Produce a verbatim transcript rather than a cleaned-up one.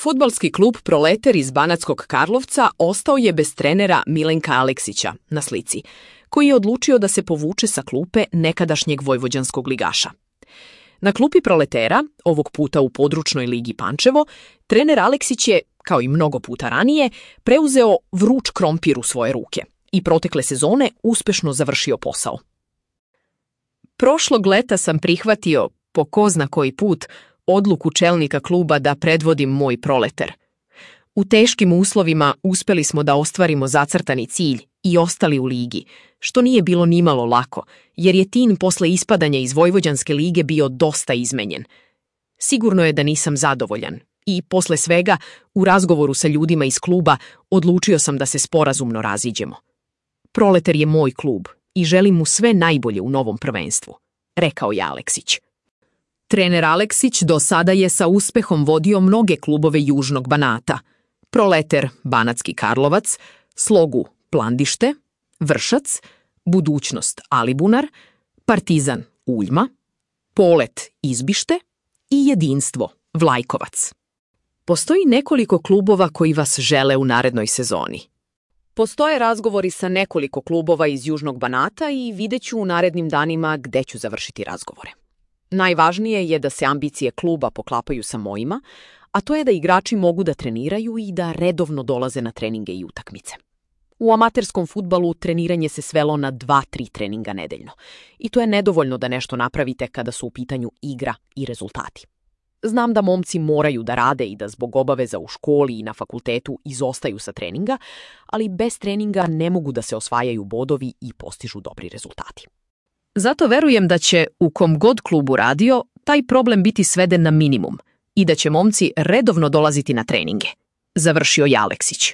Fudbalski klub Proleter iz Banatskog Karlovca ostao je bez trenera Milenka Aleksića na slici, koji je odlučio da se povuče sa klupe nekadašnjeg vojvođanskog ligaša. Na klupi Proletera, ovog puta u područnoj ligi Pančevo, trener Aleksić je, kao i mnogo puta ranije, preuzeo vruć krompir u svoje ruke i protekle sezone uspešno završio posao. Prošlog leta sam prihvatio, po ko zna koji put, odluku čelnika kluba da predvodim moj Proleter. U teškim uslovima uspeli smo da ostvarimo zacrtani cilj i ostali u ligi, što nije bilo nimalo lako, jer je tim posle ispadanja iz Vojvođanske lige bio dosta izmenjen. Sigurno je da nisam zadovoljan i posle svega, u razgovoru sa ljudima iz kluba, odlučio sam da se sporazumno raziđemo. Proleter je moj klub i želim mu sve najbolje u novom prvenstvu, rekao je Aleksić. Trener Aleksić do sada je sa uspehom vodio mnoge klubove Južnog Banata: Proleter Banatski Karlovac, Slogu Plandište, Vršac, Budućnost Alibunar, Partizan Uljma, Polet Izbište i Jedinstvo Vlajkovac. Postoji nekoliko klubova koji vas žele u narednoj sezoni. Postoje razgovori sa nekoliko klubova iz Južnog Banata i vidjet ću u narednim danima gde ću završiti razgovore. Najvažnije je da se ambicije kluba poklapaju sa mojima, a to je da igrači mogu da treniraju i da redovno dolaze na treninge i utakmice. U amaterskom fudbalu treniranje se svelo na dva tri treninga nedeljno i to je nedovoljno da nešto napravite kada su u pitanju igra i rezultati. Znam da momci moraju da rade i da zbog obaveza u školi i na fakultetu izostaju sa treninga, ali bez treninga ne mogu da se osvajaju bodovi i postižu dobri rezultati. Zato verujem da će, u kom god klubu radio, taj problem biti sveden na minimum i da će momci redovno dolaziti na treninge, završio je Aleksić.